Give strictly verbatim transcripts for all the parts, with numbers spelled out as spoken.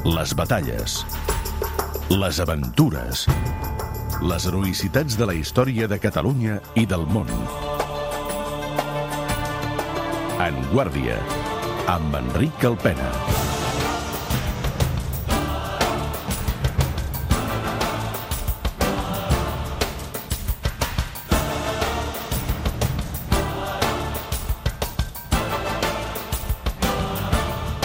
les batalles, les aventures, les heroïcitats de la història de Catalunya i del món. En Guàrdia, amb Enric Alpena.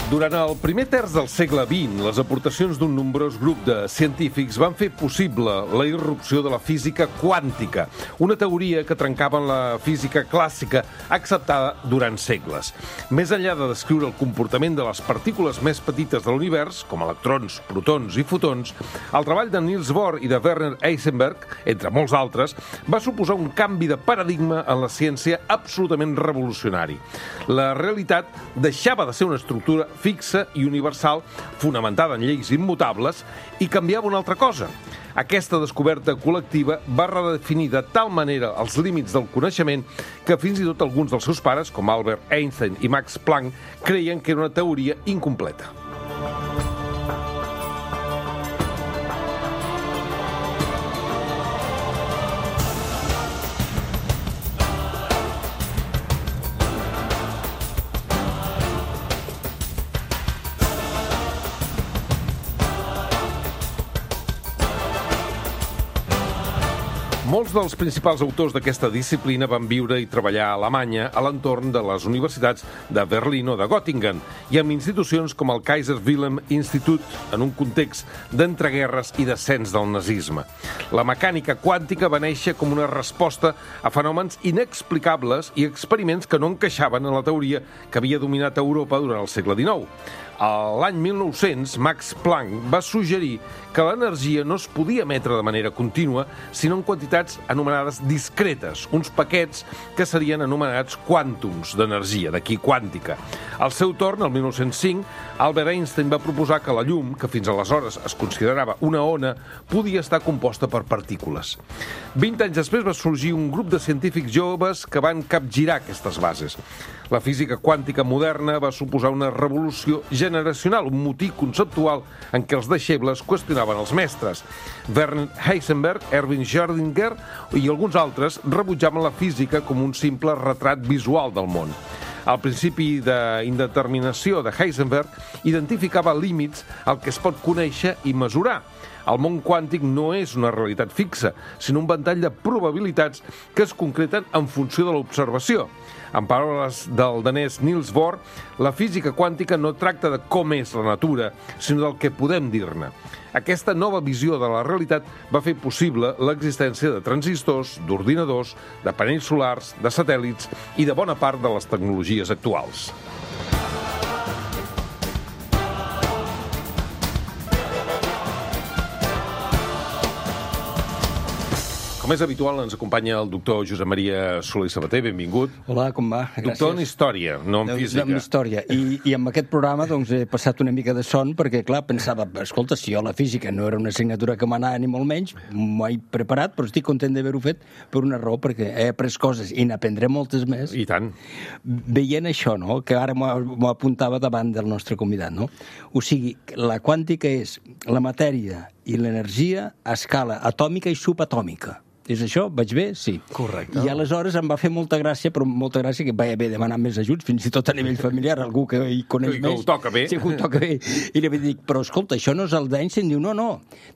Durant el primer terç del segle vint, les aportacions d'un nombrós grup de científics van fer possible la irrupció de la física quàntica, una teoria que trencava en la física clàssica acceptada durant segles. Més enllà de descriure el comportament de les partícules més petites de l'univers, com electrons, protons i fotons, el treball de Niels Bohr i de Werner Heisenberg, entre molts altres, va suposar un canvi de paradigma en la ciència absolutament revolucionari. La realitat deixava de ser una estructura fixa i universal, fonamentada en lleis immutables, i canviava una altra cosa. Aquesta descoberta col·lectiva va redefinir de tal manera els límits del coneixement que fins i tot alguns dels seus pares, com Albert Einstein i Max Planck, creien que era una teoria incompleta. Molts dels principals autors d'aquesta disciplina van viure i treballar a Alemanya a l'entorn de les universitats de Berlín o de Göttingen i amb institucions com el Kaiser Wilhelm Institut en un context d'entreguerres i descens del nazisme. La mecànica quàntica va néixer com una resposta a fenòmens inexplicables i experiments que no encaixaven en la teoria que havia dominat Europa durant el segle dinou. A l'any mil nou-cents, Max Planck va suggerir que l'energia no es podia emetre de manera contínua, sinó en quantitats anomenades discretes, uns paquets que serien anomenats quàntums d'energia, d'aquí quàntica. Al seu torn, el mil nou-cents cinc, Albert Einstein va proposar que la llum, que fins aleshores es considerava una ona, podia estar composta per partícules. Vint anys després va sorgir un grup de científics joves que van capgirar aquestes bases. La física quàntica moderna va suposar una revolució generacional, un motí conceptual en què els deixebles qüestionaven els mestres. Werner Heisenberg, Erwin Schrödinger i alguns altres rebutjaven la física com un simple retrat visual del món. El principi d'indeterminació de Heisenberg identificava límits al que es pot conèixer i mesurar. El món quàntic no és una realitat fixa, sinó un ventall de probabilitats que es concreten en funció de l'observació. En paraules del danès Niels Bohr, la física quàntica no tracta de com és la natura, sinó del que podem dir-ne. Aquesta nova visió de la realitat va fer possible l'existència de transistors, d'ordinadors, de panells solars, de satèl·lits i de bona part de les tecnologies actuals. Com és habitual, ens acompanya el doctor Josep Maria Soler i Sabater. Benvingut. Hola, com va? Gràcies. Doctor en història, no en física. En història. I, I amb aquest programa doncs, he passat una mica de son perquè, clar, pensava, escolta, si jo la física no era una assignatura que m'anava ni molt menys, m'ho he preparat, però estic content d'haver-ho fet per una raó, perquè he après coses i n'aprendré moltes més. I tant. Veient això, no?, que ara m'ho apuntava davant del nostre convidat, no? O sigui, la quàntica és la matèria i l'energia a escala atòmica i subatòmica. És això? Vaig bé? Sí. Correcte. I aleshores em va fer molta gràcia, però molta gràcia que vaig haver demanar més ajuts, fins i tot a nivell familiar, algú que hi coneix que, més. Que ho toca bé. Sí, que ho toca bé. I li vaig dir, però escolta, això no és el d'Einstein? Diu, no, no.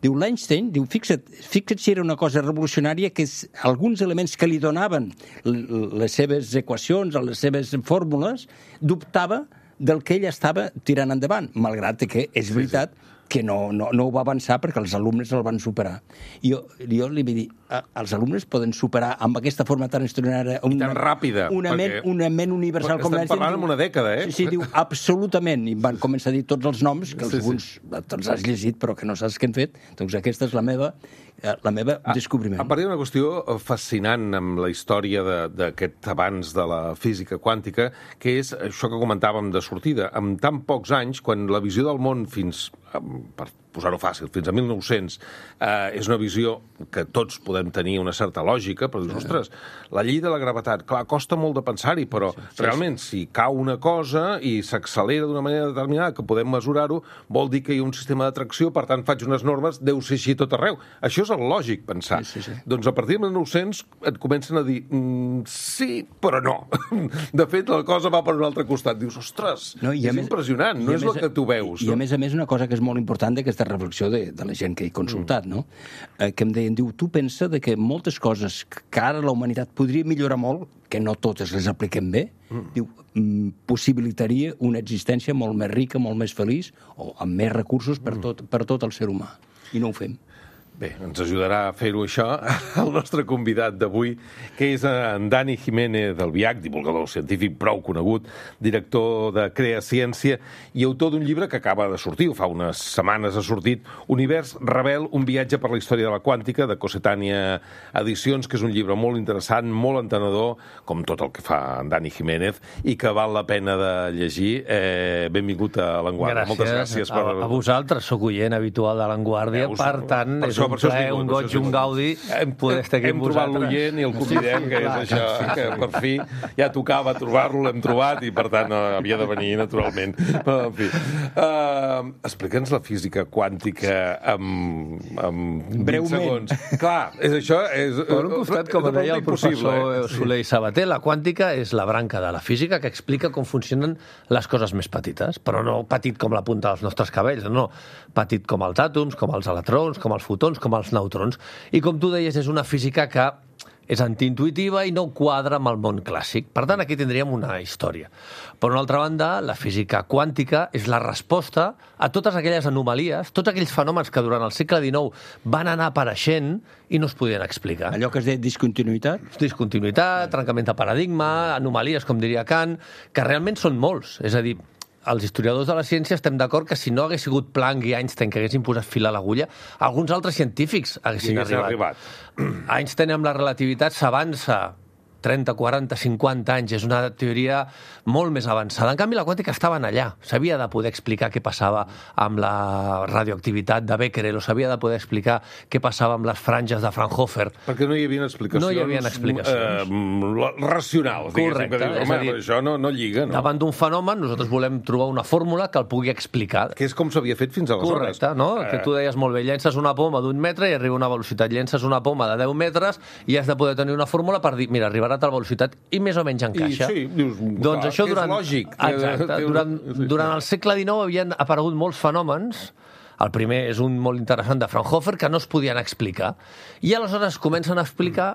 Diu, l'Einstein, diu, fixa't, fixa't si era una cosa revolucionària que és, alguns elements que li donaven les seves equacions, les seves fórmules, dubtava del que ell estava tirant endavant, malgrat que és veritat que no, no, no ho va avançar perquè els alumnes el van superar. I jo, jo li vaig dir, els alumnes poden superar amb aquesta forma tan extraordinària... I tan ràpida. Una, perquè... ment, una ment universal com l'Einstein. Estem parlant en una dècada, eh? Sí, sí, diu, absolutament. I van començar a dir tots els noms, que alguns sí, sí. te'ls has llegit, però que no saps què han fet. Doncs aquesta és la meva, la meva a, descobriment. A part d'una qüestió fascinant amb la història d'aquest avanç de la física quàntica, que és això que comentàvem de sortida. En tan pocs anys, quan la visió del món fins... per posar-ho fàcil, fins a mil nou-cents, eh, és una visió que tots podem tenir una certa lògica, però dius, ostres, la llei de la gravetat, clar, costa molt de pensar-hi, però sí, sí, realment, si cau una cosa i s'accelera d'una manera determinada, que podem mesurar-ho, vol dir que hi ha un sistema d'atracció, per tant, faig unes normes, deu ser així tot arreu. Això és el lògic, pensar. Sí, sí, sí. Doncs a partir de mil nou-cents et comencen a dir, mm, sí, però no. De fet, la cosa va per un altre costat. Dius, ostres, no, és més, impressionant, no és el que tu veus. I, no? I a més a més, una cosa que és molt important d'aquesta reflexió de, de la gent que he consultat, mm. no? Eh, que em deien, diu, tu pensa de que moltes coses que ara la humanitat podria millorar molt, que no totes les apliquem bé, mm. diu, mm, possibilitaria una existència molt més rica, molt més feliç, o amb més recursos per tot, per tot el ser humà. I no ho fem. Bé, ens ajudarà a fer-ho això el nostre convidat d'avui, que és en Dani Jiménez Albiach, divulgador científic prou conegut, director de Crea Ciència i autor d'un llibre que acaba de sortir, o fa unes setmanes ha sortit, Univers Rebel, un viatge per la història de la quàntica, de Cossetània Edicions, que és un llibre molt interessant, molt entenedor, com tot el que fa en Dani Jiménez, i que val la pena de llegir. Eh, benvingut a L'Enguàrdia. Moltes gràcies. Per... A, a vosaltres, sóc oient habitual de L'Enguàrdia, Veus, per tant, per és això, un plaer, un goig, un gaudi hem, poder estar aquí hem amb vosaltres. Hem trobat l'oient i el convidem, que és això, que per fi ja tocava trobar-lo, l'hem trobat i per tant havia de venir naturalment. Però, en fi, uh, explica'ns la física quàntica amb, amb vint segons. Clar, és això... És, per un costat, com deia el professor Soler i Sabater, la quàntica és la branca de la física que explica com funcionen les coses més petites, però no petit com la punta dels nostres cabells, no, petit com els àtoms, com els electrons, com els fotons, com els neutrons. I com tu deies, és una física que és antiintuitiva i no quadra amb el món clàssic. Per tant, aquí tindríem una història. Per una altra banda, la física quàntica és la resposta a totes aquelles anomalies, tots aquells fenòmens que durant el segle dinou van anar apareixent i no es podien explicar. Allò que es deia discontinuïtat? Discontinuïtat, trencament de paradigma, anomalies, com diria Kant, que realment són molts. És a dir, els historiadors de la ciència estem d'acord que si no hagués sigut Planck i Einstein que haguessin posat fil a l'agulla, alguns altres científics haguessin arribat. arribat. Einstein amb la relativitat s'avança trenta, quaranta, cinquanta anys. És una teoria molt més avançada. En canvi, la quàntica estaven allà. S'havia de poder explicar què passava amb la radioactivitat de Becquerel, o s'havia de poder explicar què passava amb les franges de Fraunhofer. Perquè no hi havia explicacions, no hi havia explicacions. Eh, racionals. Correcte. Que dius, home, dir, això no, no lliga. No? Davant d'un fenomen, nosaltres volem trobar una fórmula que el pugui explicar. Que és com s'havia fet fins aleshores. Correcte, no? Eh... Que tu deies molt bé, llences una poma d'un metre i arriba una velocitat. Llences una poma de deu metres i has de poder tenir una fórmula per dir, mira, arribarà a tal velocitat i més o menys encaixa. I sí, dius, doncs clar, això durant, és lògic. Exacte, durant, durant el segle dinou havien aparegut molts fenòmens. El primer és un molt interessant de Fraunhofer, que no es podien explicar. I aleshores comencen a explicar,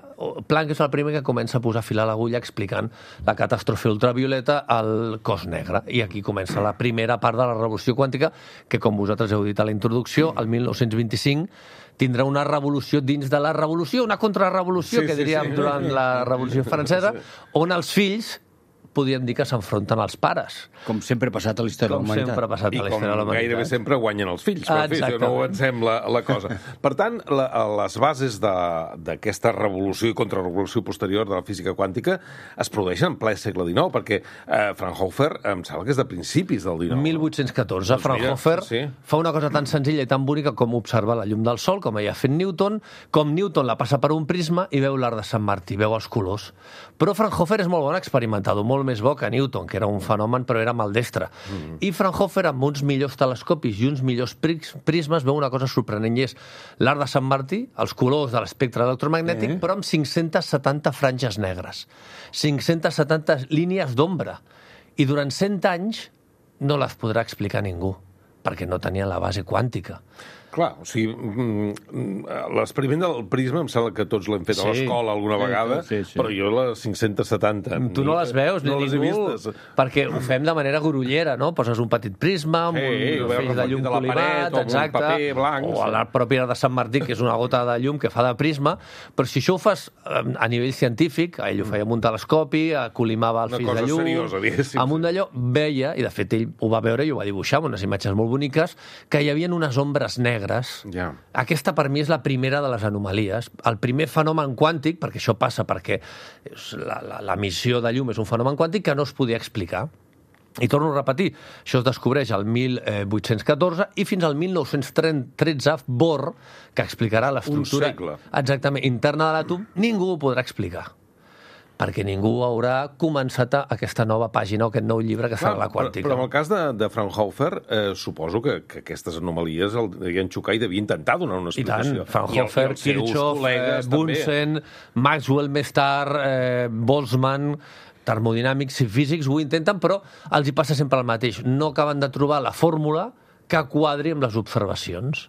Planck és el primer que comença a posar fil a l'agulla explicant la catàstrofe ultravioleta al cos negre. I aquí comença la primera part de la revolució quàntica, que com vosaltres heu dit a la introducció, el mil nou-cents vint-i-cinc tindrà una revolució dins de la revolució, una contrarrevolució, sí, que diríem sí, sí. durant la Revolució Francesa, on els fills podríem dir que s'enfronten als pares. Com sempre ha passat a la història de la humanitat. Com sempre ha passat a la història de la humanitat. I com gairebé sempre guanyen els fills. Ah, per fi, no ho ensem la, la cosa. Per tant, la, les bases d'aquesta revolució i contrarrevolució posterior de la física quàntica es produeixen en ple segle dinou, perquè eh, Fraunhofer em sembla que és de principis del dinou. mil vuit-cents catorze. Doncs Fraunhofer mira, sí. fa una cosa tan senzilla i tan bonica com observar la llum del sol, com ja ha fet Newton, com Newton la passa per un prisma i veu l'arc de Sant Martí, veu els colors. Però Fraunhofer és molt bon experimentador, molt més bo que Newton, que era un fenomen però era maldestre. Mm. I Fraunhofer, amb uns millors telescopis i uns millors prismes, veu una cosa sorprenent, i és l'arc de Sant Martí, els colors de l'espectre electromagnètic, eh? però amb cinc-centes setanta franges negres, cinc-centes setanta línies d'ombra. I durant cent anys no les podrà explicar ningú, perquè no tenien la base quàntica. Clar, o sigui, l'experiment del prisma em sembla que tots l'hem fet sí. a l'escola alguna vegada, sí, sí, sí. però jo les cinc-centes setanta... Tu no les veus, no ni les ningú, he vistes. Perquè ho fem de manera grollera, no? Poses un petit prisma amb sí, un feix de llum colimat, exacte, paper blanc, o la pròpia de Sant Martí, que és una gota de llum que fa de prisma, però si això ho fas a nivell científic, ell ho feia amb un telescopi, colimava el feix de llum, seriosa, amb un d'allò, veia, i de fet ell ho va veure i ho va dibuixar amb unes imatges molt boniques, que hi havia unes ombres negres. Ja. Aquesta per mi és la primera de les anomalies. El primer fenomen quàntic, perquè això passa perquè l'emissió de llum és un fenomen quàntic que no es podia explicar. I torno a repetir, això es descobreix al mil vuit-cents catorze i fins al mil nou-cents tretze Bohr, que explicarà l'estructura exactament interna de l'àtom, ningú ho podrà explicar, perquè ningú haurà començat a aquesta nova pàgina o aquest nou llibre que serà la quàntica. Però, però en el cas de, de Fraunhofer, eh, suposo que, que aquestes anomalies el devien xocar i devia intentar donar una explicació. I tant, Fraunhofer, I el, i Kirchhoff, eh, Bunsen, Maxwell més tard, eh, Boltzmann, termodinàmics i físics ho intenten, però els hi passa sempre el mateix. No acaben de trobar la fórmula que quadri amb les observacions.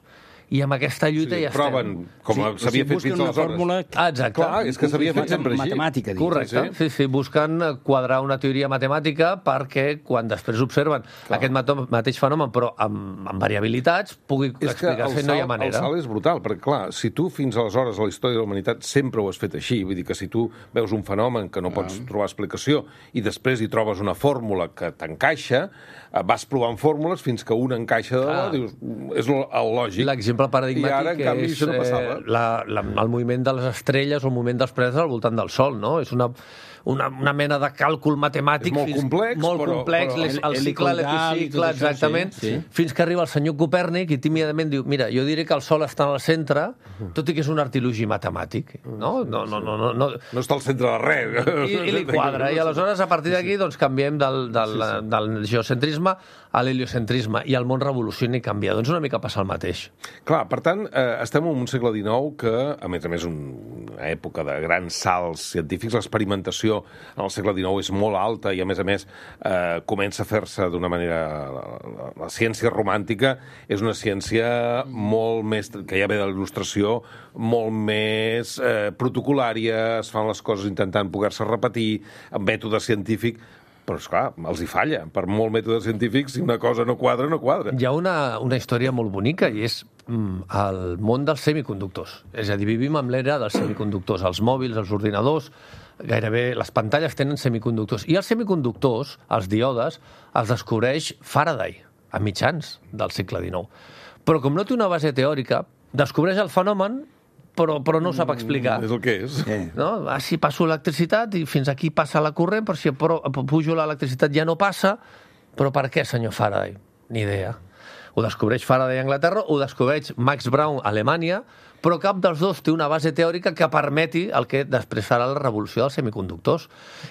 I amb aquesta lluita sí, ja proven, estem. Com sí, s'havia fet fins aleshores. Fórmula... Ah, exacte. Clar, és que s'havia fet sempre així. Matemàtica, dic. Correcte. Sí, sí, busquen quadrar una teoria matemàtica perquè quan després observen clar. Aquest mateix fenomen, però amb, amb variabilitats, pugui explicar-se, no hi ha manera. El salt és brutal, perquè clar, si tu fins aleshores a la història de la humanitat sempre ho has fet així, vull dir que si tu veus un fenomen que no pots ah. trobar explicació i després hi trobes una fórmula que t'encaixa, vas provant fórmules fins que una encaixa de la, dius, és el lògic. L'exemple paradigmàtic ara, en canvi, és no eh, la, la, el moviment de les estrelles o el moviment dels planetes al voltant del Sol, no? És una, una, una mena de càlcul matemàtic és molt fins, complex, molt però, complex però... el, el cicle, l'epicicle, exactament, sí, sí. Fins que arriba el senyor Copèrnic i tímidament diu, mira, jo diré que el Sol està en el centre, tot i que és un artilugi matemàtic, no? No, no, no, no, no. no està al centre de res. I, i li quadra, i aleshores a partir d'aquí doncs, canviem del, del, sí, sí. del geocentrisme a l'heliocentrisme i el món revoluciona i canvia. Doncs una mica passa el mateix. Clar, per tant, eh, estem en un segle dinou que, a més a més, un, una època de grans salts científics, l'experimentació en el segle dinou és molt alta i, a més a més, eh, comença a fer-se d'una manera... La, la, la ciència romàntica és una ciència molt més... que ja ve de l'il·lustració, molt més eh, protocolària, es fan les coses intentant poder-se repetir, amb mètode científic... Però, esclar, els hi falla. Per molt mètode científic, si una cosa no quadra, no quadra. Hi ha una, una història molt bonica i és mm, el món dels semiconductors. És a dir, vivim amb l'era dels semiconductors. Els mòbils, els ordinadors, gairebé les pantalles tenen semiconductors. I els semiconductors, els díodes, els descobreix Faraday a mitjans del segle dinou. Però com no té una base teòrica, descobreix el fenomen Però, però no ho sap explicar. Mm, és el que és. Eh. No? Ah, si passo l'electricitat i fins aquí passa la corrent, però si pujo l'electricitat ja no passa. Però per què, senyor Faraday? Ni idea. Ho descobreix Faraday a Anglaterra, ho descobreix Max Braun a Alemanya, però cap dels dos té una base teòrica que permeti el que després serà la revolució dels semiconductors.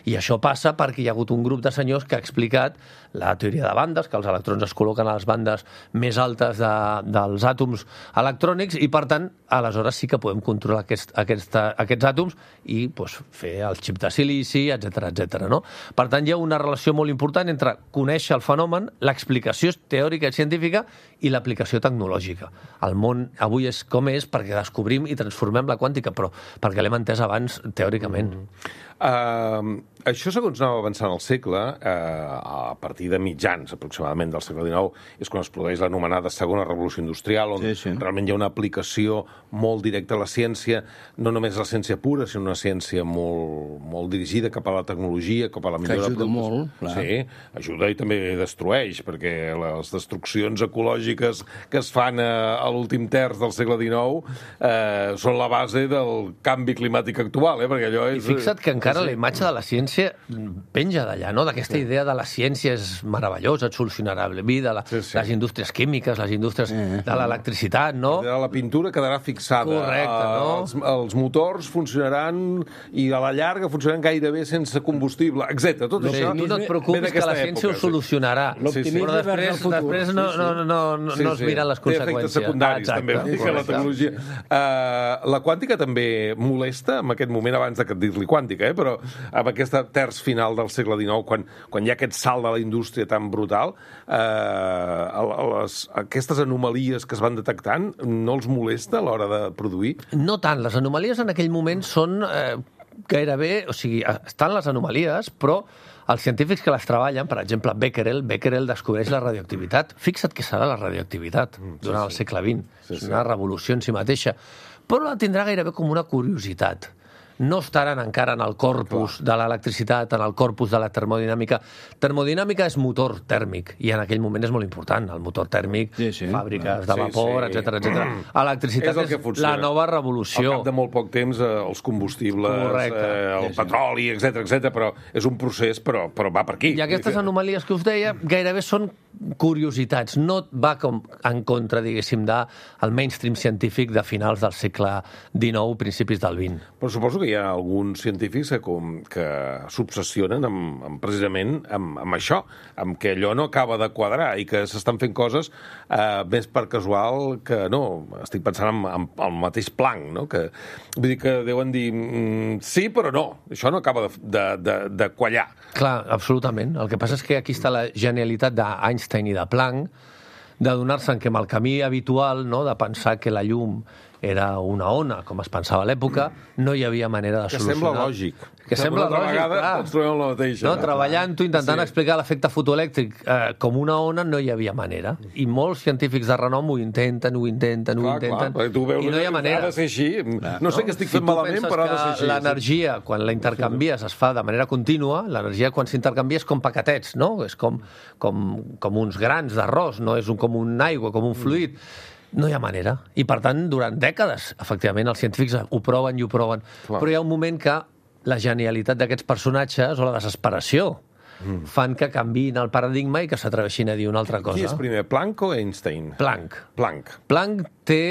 I això passa perquè hi ha hagut un grup de senyors que ha explicat la teoria de bandes, que els electrons es col·loquen a les bandes més altes de, dels àtoms electrònics i, per tant, aleshores sí que podem controlar aquest, aquest, aquests àtoms i doncs, fer el xip de silici, etcètera, etcètera. No? Per tant, hi ha una relació molt important entre conèixer el fenomen, l'explicació teòrica i científica i l'aplicació tecnològica. El món avui és com és perquè descobrim i transformem la quàntica, però perquè l'hem entès abans teòricament. Mm. Uh, això, segons anava avançant el segle, uh, a partir de mitjans, aproximadament, del segle dinou, és quan es produeix l'anomenada segona revolució industrial, on sí, sí. realment hi ha una aplicació molt directa a la ciència, no només la ciència pura, sinó una ciència molt, molt dirigida cap a la tecnologia, cap a la millora... Que ajuda molt, clar. Sí, ajuda i també destrueix, perquè les destruccions ecològiques que es fan a, a l'últim terç del segle dinou eh, són la base del canvi climàtic actual, eh? Perquè allò és... I fixa't que encara la imatge de la ciència penja d'allà, no? D'aquesta sí. idea de la ciència és meravellosa, et solucionarà la vida, la, sí, sí. les indústries químiques, les indústries sí. de l'electricitat, no? La pintura quedarà fixada. Correcte, no? Els, els motors funcionaran i a la llarga funcionaran gairebé sense combustible, etcètera. Tot no, això... Tu no et preocupis que la ciència època, ho solucionarà. Sí. Sí, sí. Però després, després no, no, no, no, sí, sí. no es miren les conseqüències. Té efectes secundaris, ah, també, que la tecnologia. Uh, la quàntica també molesta en aquest moment, abans de dir-li quàntica, eh? Però amb aquesta terç final del segle dinou, quan, quan hi ha aquest salt de la indústria tan brutal, eh, les, aquestes anomalies que es van detectant no els molesta a l'hora de produir? No tant. Les anomalies en aquell moment són eh, gairebé... O sigui, estan les anomalies, però els científics que les treballen, per exemple, Becquerel, Becquerel descobreix la radioactivitat. Fixa't què serà la radioactivitat mm, sí, durant el segle vint. Sí, és una sí. revolució en si mateixa. Però la tindrà gairebé com una curiositat. no estaran encara en el corpus de l'electricitat, en el corpus de la termodinàmica. Termodinàmica és motor tèrmic, i en aquell moment és molt important. El motor tèrmic, sí, sí. fàbriques de vapor, sí, sí. etcètera, etcètera. Electricitat és, és la nova revolució. Al cap de molt poc temps, eh, els combustibles, eh, el sí, sí. petroli, etcètera, etcètera, però és un procés, però, però va per aquí. I aquestes anomalies que us deia gairebé són curiositats. No va com en contra, diguéssim, del mainstream científic de finals del segle dinou, principis del vint. Però suposo que hi ha alguns científics que, com, que s'obsessionen amb, amb, precisament amb, amb això, amb que allò no acaba de quadrar i que s'estan fent coses eh, més per casual que no. Estic pensant en, en, en el mateix Planck, no? Que, vull dir que deuen dir mm, sí, però no. Això no acaba de, de, de, de quallar. Clar, absolutament. El que passa és que aquí està la genialitat d'Einstein i de Planck, de donar-se que amb el camí habitual, no?, de pensar que la llum era una ona, com es pensava a l'època, no hi havia manera de solucionar. Que sembla lògic. Que sembla lògic, vegada clar. Ens trobem la mateixa. No? Treballant-ho, intentant sí. explicar l'efecte fotoelèctric eh, com una ona, no hi havia manera. I molts científics de renom ho intenten, ho intenten, ho clar, intenten, clar, tu veus, i no hi ha manera. Ha de ser així. No, no sé què estic si fent malament, però ha de ser així. L'energia, quan la intercanvies, es fa de manera contínua, l'energia quan s'intercanvia és com paquetets, no? És com, com, com uns grans d'arròs, no és un, com un aigua, com un fluid. No hi ha manera. I, per tant, durant dècades, efectivament, els científics ho proven i ho proven. Clar. Però hi ha un moment que la genialitat d'aquests personatges o la desesperació mm. fan que canviïn el paradigma i que s'atreveixin a dir una altra cosa. Qui és primer, Planck o Einstein? Planck. Planck. Planck té,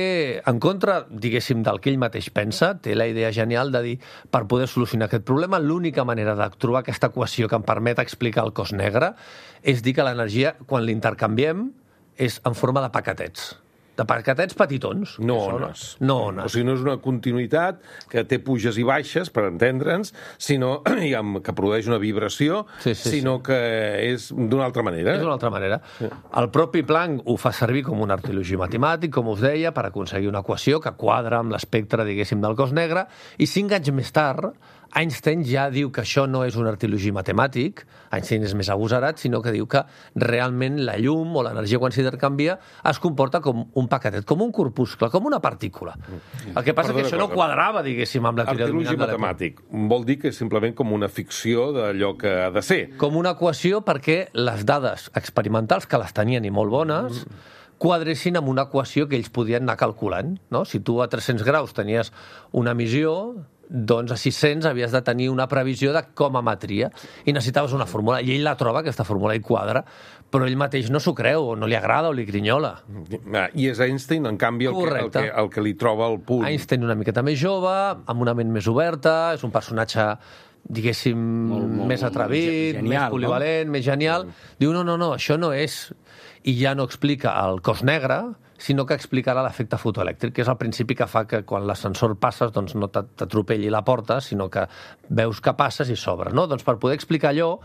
en contra, diguéssim, del que ell mateix pensa, té la idea genial de dir, per poder solucionar aquest problema, l'única manera de trobar aquesta equació que em permet explicar el cos negre és dir que l'energia, quan l'intercanviem, és en forma de paquetets. De paquetets petitons. No ones. No ones. O sigui, no és una continuïtat que té puges i baixes, per entendre'ns, sinó diguem, que produeix una vibració, sí, sí, sinó sí. que és d'una altra manera. És d'una altra manera. Sí. El propi Planck ho fa servir com un artilogi matemàtic, com us deia, per aconseguir una equació que quadra amb l'espectre, diguéssim, del cos negre, i cinc anys més tard, Einstein ja diu que això no és un artilogi matemàtic, Einstein és més agosarat, sinó que diu que realment la llum o l'energia quan s'intercanvia es comporta com un paquetet, com un corpuscle, com una partícula. El que passa és que això no quadrava, diguéssim, amb la teoria dominant de l'època. Artilogi matemàtic vol dir que és simplement com una ficció d'allò que ha de ser. Com una equació perquè les dades experimentals, que les tenien i molt bones, quadressin amb una equació que ells podien anar calculant. No? Si tu a tres-cents graus tenies una emissió, doncs a sis-cents havies de tenir una previsió de com emetria i necessitaves una fórmula, i ell la troba, aquesta fórmula, i quadra, però ell mateix no s'ho creu, o no li agrada, o li grinyola. I és Einstein, en canvi, el que, el, que, el que li troba el punt. Einstein una miqueta més jove, amb una ment més oberta, és un personatge, diguéssim, molt, molt, més atrevit, genial, més polivalent, no? Més genial. Diu, no, no, no, això no és... I ja no explica el cos negre, sinó que explicarà l'efecte fotoelèctric, que és el principi que fa que quan l'ascensor passes doncs no t'atropelli la porta, sinó que veus que passes i s'obre. No? Doncs per poder explicar allò,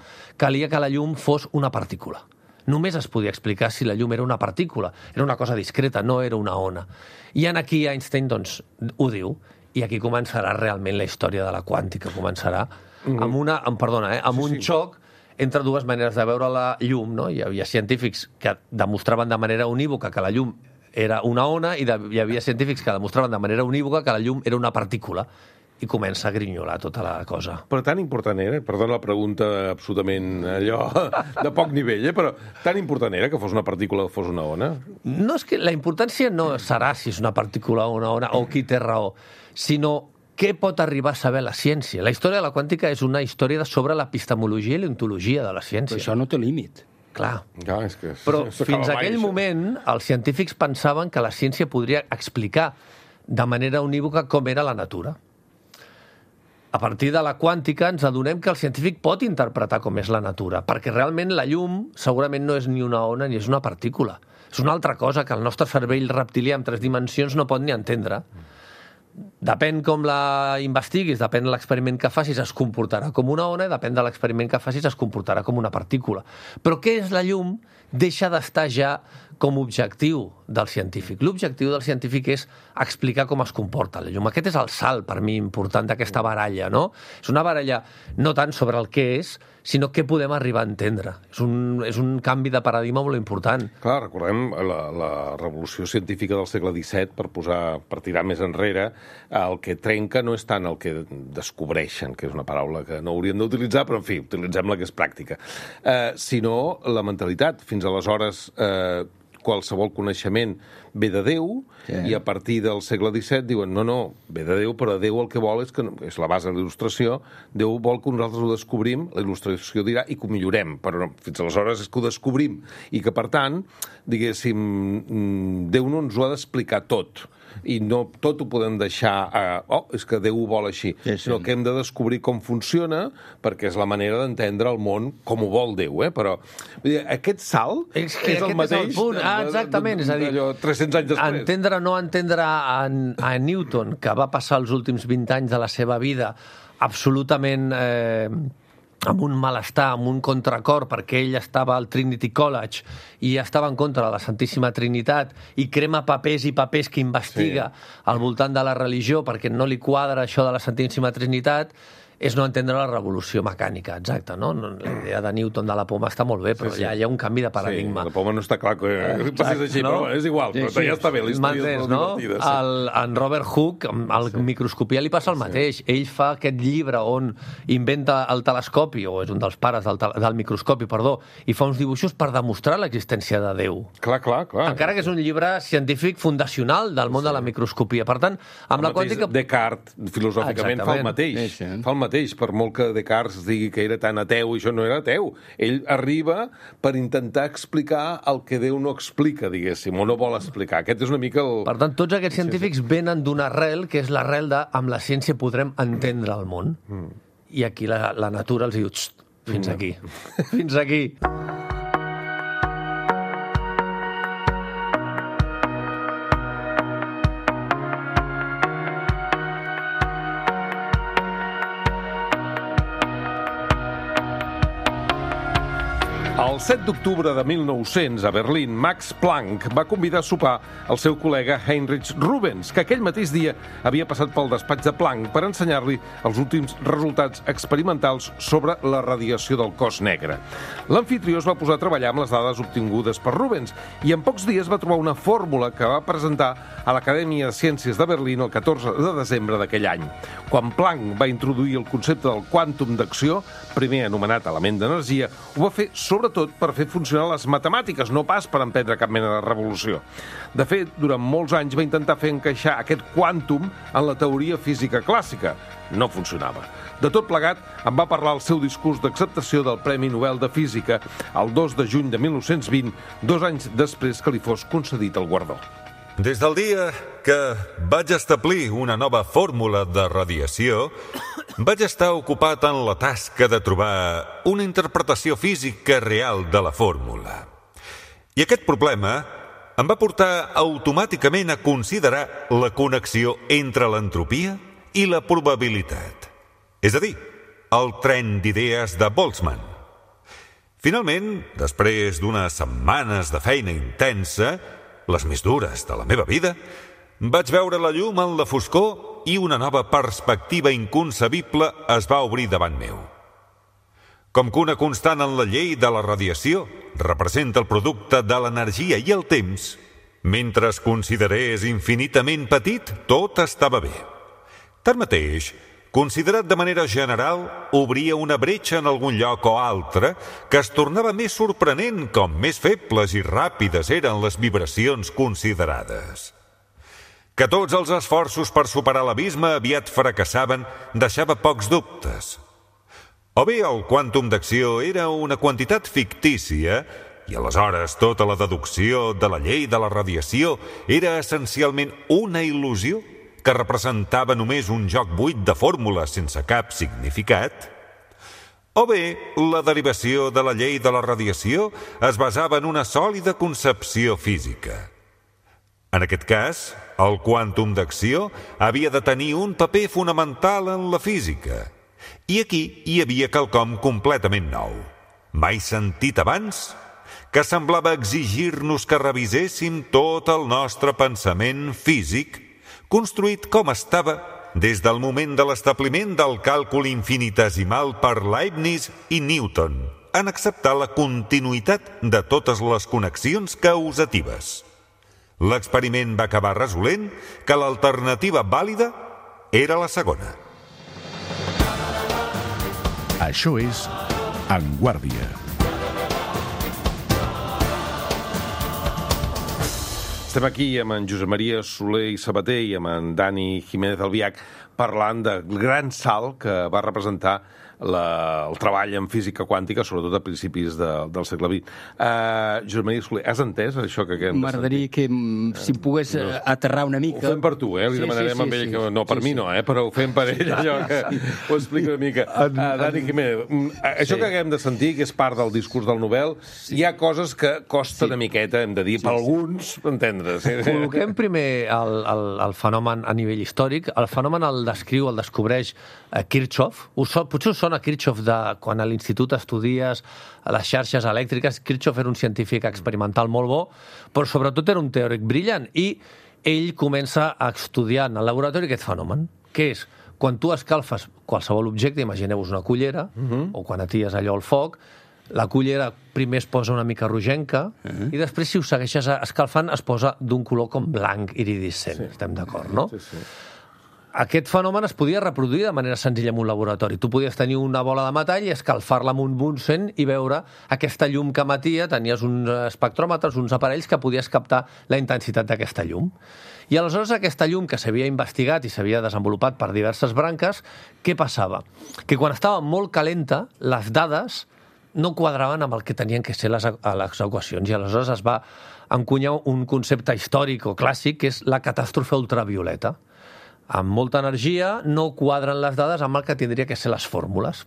calia que la llum fos una partícula. Només es podia explicar si la llum era una partícula. Era una cosa discreta, no era una ona. I en aquí Einstein doncs, ho diu, i aquí començarà realment la història de la quàntica. Començarà mm-hmm. amb una... Amb, perdona, eh, amb sí, un sí. xoc entre dues maneres de veure la llum, no? Hi havia científics que demostraven de manera unívoca que la llum era una ona i de, hi havia científics que demostraven de manera unívoca que la llum era una partícula. I comença a grinyolar tota la cosa. Però tan important era, perdona la pregunta absolutament allò de poc nivell, eh? Però tan important era que fos una partícula o fos una ona? No, és que la importància no serà si és una partícula o una ona o qui té raó, sinó què pot arribar a saber la ciència. La història de la quàntica és una història sobre l'epistemologia i l'ontologia de la ciència. Però això no té límit. Clar. Clar, és que però fins a aquell moment els científics pensaven que la ciència podria explicar de manera unívoca com era la natura. A partir de la quàntica ens adonem que el científic pot interpretar com és la natura, perquè realment la llum segurament no és ni una ona ni és una partícula. És una altra cosa que el nostre cervell reptilià en tres dimensions no pot ni entendre. Depèn com la investiguis, depèn de l'experiment que facis, es comportarà com una ona, i depèn de l'experiment que facis, es comportarà com una partícula. Però què és la llum? Deixa d'estar ja com a objectiu del científic. L'objectiu del científic és explicar com es comporta la llum. Aquest és el salt, per mi, important d'aquesta baralla, no? És una baralla no tant sobre el què és, sinó què podem arribar a entendre. És un, és un canvi de paradigma molt important. Clar, recordem la, la revolució científica del segle disset, per posar, per tirar més enrere, el que trenca no és tant el que descobreixen, que és una paraula que no hauríem d'utilitzar, però en fi, utilitzem la que és pràctica, eh, sinó la mentalitat. Fins aleshores, eh, qualsevol coneixement ve de Déu, sí. I a partir del segle disset diuen no, no, ve de Déu, però Déu el que vol és que, és la base de la il·lustració, Déu vol que nosaltres ho descobrim, la il·lustració dirà, i que ho millorem, però no, fins aleshores és que ho descobrim, i que, per tant, diguéssim, Déu no ens ho ha d'explicar tot, i no tot ho podem deixar a, oh, és que Déu ho vol així, sí, sí. Sinó que hem de descobrir com funciona, perquè és la manera d'entendre el món com ho vol Déu, eh? Però dir, aquest salt és, és el mateix... És el punt. Ah, exactament, és a dir, tres-cents anys després. Entendre o no entendre a, a Newton, que va passar els últims vint anys de la seva vida absolutament... Eh, amb un malestar, amb un contracor, perquè ell estava al Trinity College i estava en contra de la Santíssima Trinitat i crema papers i papers que investiga sí. Al voltant de la religió perquè no li quadra això de la Santíssima Trinitat, és no entendre la revolució mecànica, exacte, no? La idea de Newton de la poma està molt bé, però sí, sí. Ja hi ha un canvi de paradigma. Sí, la poma no està clar que exacte, passés així, no? Però és igual, sí, però sí. Ja està bé, la història és molt no? divertida. Sí. El, en Robert Hooke, al sí. Microscopia li passa el mateix. Sí. Ell fa aquest llibre on inventa el telescopi, o és un dels pares del, del microscopi, perdó, i fa uns dibuixos per demostrar l'existència de Déu. Clar, clar, clar. Encara que és un llibre científic fundacional del món sí. De la microscopia. Per tant, amb el la quàntica... Descartes, filosòficament, fa el mateix. Sí, sí. Fa el mateix. Per molt que Descartes digui que era tan ateu, i això no era ateu. Ell arriba per intentar explicar el que Déu no explica, diguéssim, o no vol explicar. Aquest és una mica el... Per tant, tots aquests científics venen d'una arrel, que és l'arrel de amb la ciència podrem entendre el món. Mm. I aquí la, la natura els diu, fins aquí, fins aquí. El set d'octubre de mil nou-cents, a Berlín, Max Planck va convidar a sopar el seu col·lega Heinrich Rubens, que aquell mateix dia havia passat pel despatx de Planck per ensenyar-li els últims resultats experimentals sobre la radiació del cos negre. L'amfitrió es va posar a treballar amb les dades obtingudes per Rubens i en pocs dies va trobar una fórmula que va presentar a l'Acadèmia de Ciències de Berlín el catorze de desembre d'aquell any. Quan Planck va introduir el concepte del quàntum d'acció, primer anomenat element d'energia, ho va fer sobretot per fer funcionar les matemàtiques, no pas per emprendre cap mena de revolució. De fet, durant molts anys va intentar fer encaixar aquest quàntum en la teoria física clàssica. No funcionava. De tot plegat, en va parlar el seu discurs d'acceptació del Premi Nobel de Física el dos de juny de mil nou-cents vint, dos anys després que li fos concedit el guardó. Des del dia que vaig establir una nova fórmula de radiació, vaig estar ocupat en la tasca de trobar una interpretació física real de la fórmula. I aquest problema em va portar automàticament a considerar la connexió entre l'entropia i la probabilitat. És a dir, el tren d'idees de Boltzmann. Finalment, després d'unes setmanes de feina intensa, les més dures de la meva vida, vaig veure la llum en la foscor i una nova perspectiva inconcebible es va obrir davant meu. Com que una constant en la llei de la radiació representa el producte de l'energia i el temps, mentre es considerés infinitament petit, tot estava bé. Tanmateix, considerat de manera general, obria una bretxa en algun lloc o altre que es tornava més sorprenent com més febles i ràpides eren les vibracions considerades. Que tots els esforços per superar l'abisme aviat fracassaven deixava pocs dubtes. O bé el quàntum d'acció era una quantitat fictícia i aleshores tota la deducció de la llei de la radiació era essencialment una il·lusió que representava només un joc buit de fórmules sense cap significat, o bé la derivació de la llei de la radiació es basava en una sòlida concepció física. En aquest cas, el quàntum d'acció havia de tenir un paper fonamental en la física, i aquí hi havia quelcom completament nou. Mai sentit abans, que semblava exigir-nos que reviséssim tot el nostre pensament físic, construït com estava des del moment de l'establiment del càlcul infinitesimal per Leibniz i Newton, en acceptar la continuïtat de totes les connexions causatives. L'experiment va acabar resolent que l'alternativa vàlida era la segona. Això és En Guàrdia. Estem aquí amb en Josep Maria Soler i Sabater i amb en Dani Jiménez Albiach parlant del gran salt que va representar la, el treball en física quàntica, sobretot a principis de, del segle vint. Uh, Josep Maria Soler, has entès això que acabem de sentir? M'agradaria que si pogués no. aterrar una mica... Ho fem per tu, eh? Li sí, demanarem sí, sí, a ell, sí, que no per sí, mi no, eh? Però ho fem per ell, allò que ho explica una mica. Uh, Dani Jiménez, això sí. que acabem de sentir, que és part del discurs del Nobel, sí. hi ha coses que costa sí. una miqueta, hem de dir, sí, per sí. alguns entendre. Sí. Col·loquem primer el, el, el fenomen a nivell històric. El fenomen el descriu, el descobreix eh, Kirchhoff. Us, potser us sona Kirchhoff de quan a l'institut estudies les xarxes elèctriques. Kirchhoff era un científic experimental molt bo, però sobretot era un teòric brillant. I ell comença a estudiar en el laboratori aquest fenomen, que és quan tu escalfes qualsevol objecte, imagineu-vos una cullera, uh-huh. o quan aties allò al foc, la cullera primer es posa una mica rogenca uh-huh. i després, si ho segueixes escalfant, es posa d'un color com blanc iridescent. Sí. Estem d'acord, no? Sí, sí. Aquest fenomen es podia reproduir de manera senzilla en un laboratori. Tu podies tenir una bola de metall i escalfar-la amb un Bunsen i veure aquesta llum que emetia. Tenies uns espectròmetres, uns aparells que podies captar la intensitat d'aquesta llum. I aleshores aquesta llum que s'havia investigat i s'havia desenvolupat per diverses branques, què passava? Que quan estava molt calenta, les dades no quadraven amb el que tenien que ser les, les equacions, i aleshores es va encunyar un concepte històric o clàssic, que és la catàstrofe ultravioleta. Amb molta energia no quadren les dades amb el que tindria que ser les fórmules.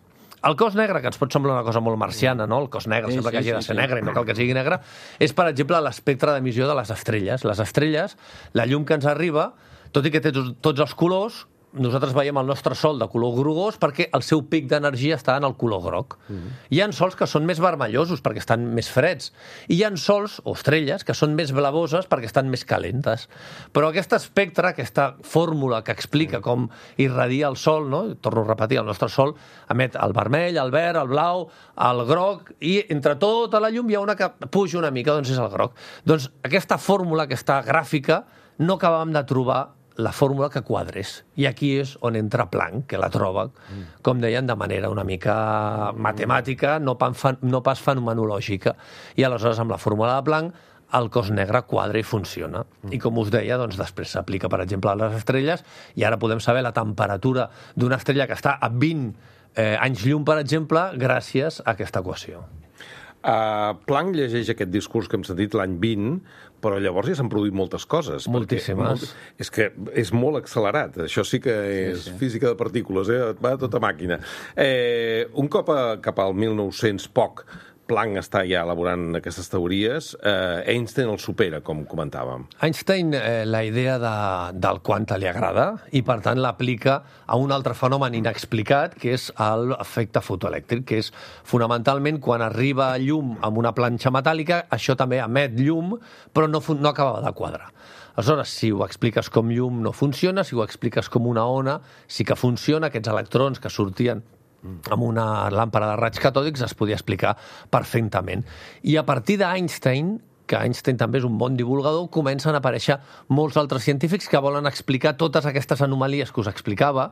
El cos negre, que ens pot semblar una cosa molt marciana, no? El cos negre sí, sembla sí, que hagi de ser sí, negre i no cal que sigui negre, és, per exemple, l'espectre d'emissió de les estrelles. Les estrelles, la llum que ens arriba, tot i que té tots els colors, nosaltres veiem el nostre sol de color grogós perquè el seu pic d'energia està en el color groc. Mm-hmm. Hi ha sols que són més vermellosos perquè estan més freds. I hi ha sols, o estrelles, que són més blavoses perquè estan més calentes. Però aquest espectre, aquesta fórmula que explica com irradia el sol, no? Torno a repetir, el nostre sol emet el vermell, el verd, el blau, el groc, i entre tota la llum hi ha una que puja una mica, doncs és el groc. Doncs aquesta fórmula, aquesta gràfica, no acabàvem de trobar la fórmula que quadres. I aquí és on entra Planck, que la troba, com deien, de manera una mica matemàtica, no pas fenomenològica. I aleshores, amb la fórmula de Planck, el cos negre quadra i funciona. I com us deia, doncs després s'aplica, per exemple, a les estrelles, i ara podem saber la temperatura d'una estrella que està a vint eh, anys llum, per exemple, gràcies a aquesta equació. Uh, Planck llegeix aquest discurs que hem sentit l'any vint, però llavors ja s'han produït moltes coses. Moltíssimes. Perquè, és que és molt accelerat. Això sí que és sí, sí. física de partícules, eh? Va a tota màquina. Eh, un cop a, cap al mil nou-cents poc, Planck està ja elaborant aquestes teories, eh, Einstein el supera, com comentàvem. Einstein, eh, la idea de, del quanta li agrada i, per tant, l'aplica a un altre fenomen inexplicat, que és l'efecte fotoelèctric, que és fonamentalment quan arriba llum amb una planxa metàl·lica, això també emet llum, però no, no acabava de quadrar. Aleshores, si ho expliques com llum no funciona, si ho expliques com una ona sí que funciona, aquests electrons que sortien amb una làmpara de raigs catòdics es podia explicar perfectament. I a partir d'Einstein, que Einstein també és un bon divulgador, comencen a aparèixer molts altres científics que volen explicar totes aquestes anomalies que us explicava,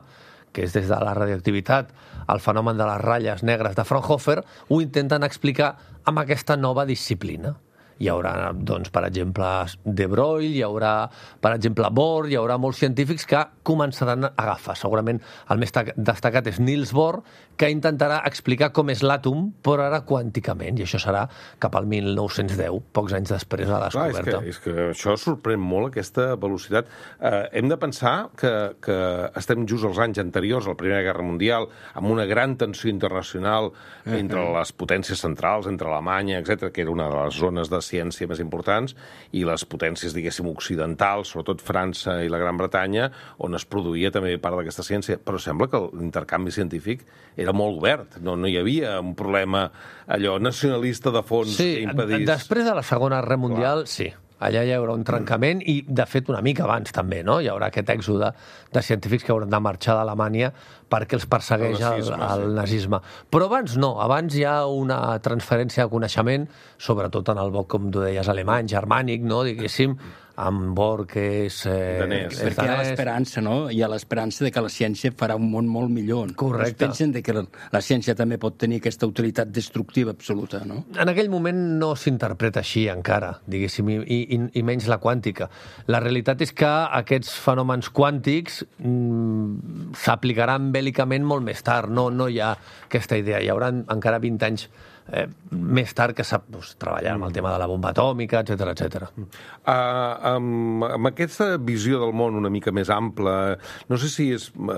que és des de la radioactivitat al fenomen de les ratlles negres de Fraunhofer, ho intenten explicar amb aquesta nova disciplina. Hi haurà, doncs, per exemple, De Broglie, hi haurà, per exemple, Bohr, hi haurà molts científics que començaran a agafar. Segurament el més destacat és Niels Bohr, que intentarà explicar com és l'àtom, però ara quànticament, i això serà cap al mil nou-cents deu, pocs anys després de la descoberta. Clar, és, que, és que això sorprèn molt, aquesta velocitat. Eh, hem de pensar que, que estem just als anys anteriors a la Primera Guerra Mundial, amb una gran tensió internacional entre les potències centrals, entre Alemanya, etcètera, que era una de les zones de ciència més importants, i les potències, diguéssim, occidentals, sobretot França i la Gran Bretanya, on es produïa també part d'aquesta ciència. Però sembla que l'intercanvi científic era molt obert, no, no hi havia un problema allò nacionalista de fons sí, que impedís... Després de la Segona Guerra Mundial, clar. Sí. Allà hi haurà un trencament i, de fet, una mica abans també, no? Hi haurà aquest èxode de científics que hauran de marxar d'Alemanya perquè els persegueix el, nazisme, el, el sí. nazisme. Però abans no, abans hi ha una transferència de coneixement, sobretot en el bloc, com tu deies, alemany, germànic, no? Diguéssim, amb Borges... Eh, danès. Perquè hi ha l'esperança, no? Hi ha l'esperança de que la ciència farà un món molt millor. Correcte. Es pensen de que la, la ciència també pot tenir aquesta utilitat destructiva absoluta, no? En aquell moment no s'interpreta així encara, diguéssim, i, i, i menys la quàntica. La realitat és que aquests fenòmens quàntics mm, s'aplicaran bèl·licament molt més tard. No, no hi ha aquesta idea. Hi haurà encara vint anys Eh, més tard que sap doncs, treballar amb el tema de la bomba atòmica, etcètera, etcètera. Uh, amb, amb aquesta visió del món una mica més ampla, no sé si és uh,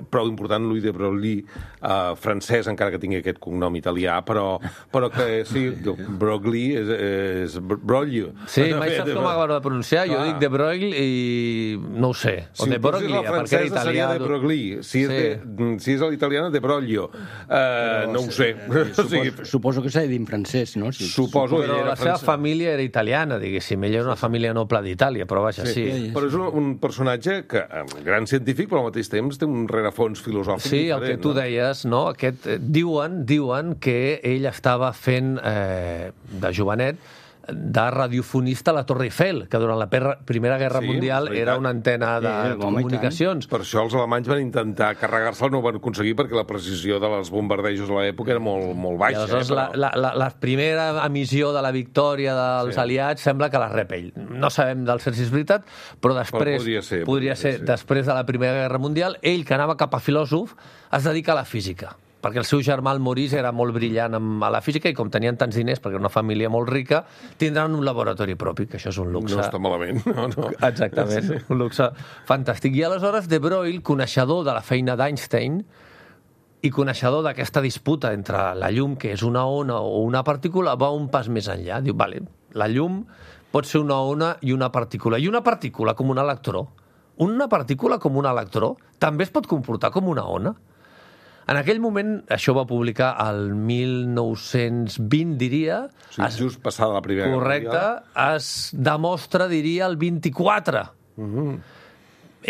prou important Louis de Broglie, uh, francès, encara que tingui aquest cognom italià, però, però que sí, Broglie és, és Broglie. Sí, mai saps com acabo de pronunciar, jo dic de Broglie i no ho sé. O si de Broglie, perquè era italià. Seria de Broglie. Si és, sí. de, si és l'italiana, de Broglio. Uh, no ho sé. O sigui, suposo que s'ha dit en francès, no? Si, suposo però la seva francès. Família era italiana, diguéssim. Ella era una família noble d'Itàlia, però vaja, sí. sí. Però és un, un personatge que, gran científic, però al mateix temps té un rerefons filosòfic sí, diferent. Sí, el que tu no? deies, no? Aquest, diuen, diuen que ell estava fent, eh, de jovenet, de radiofonista a la Torre Eiffel, que durant la Primera Guerra sí, Mundial era una antena de sí, comunicacions. Per això els alemanys van intentar carregar-se'l, no ho van aconseguir perquè la precisió dels bombardejos a l'època era molt, molt baixa. I aleshores eh, però... la, la, la primera emissió de la victòria dels sí. aliats sembla que la rep ell. No sabem del cert si és veritat, però després, però podria ser, podria ser, ser, després de la Primera Guerra Mundial, ell, que anava cap a filòsof, es dedica a la física. Perquè el seu germà, el Maurice, era molt brillant a la física i com tenien tants diners, perquè era una família molt rica, tindran un laboratori propi, que això és un luxe. No està malament, no, no. Exactament, sí. Un luxe fantàstic. I aleshores de Broglie, coneixedor de la feina d'Einstein i coneixedor d'aquesta disputa entre la llum, que és una ona o una partícula, va un pas més enllà. Diu, vale, la llum pot ser una ona i una partícula. I una partícula com un electró. Una partícula com un electró també es pot comportar com una ona. En aquell moment, això va publicar el mil nou-cents vint, diria... Sí, es, just passada la Primera Guerra Mundial. Correcte, es demostra, diria, el vint-i-quatre. Mm-hmm.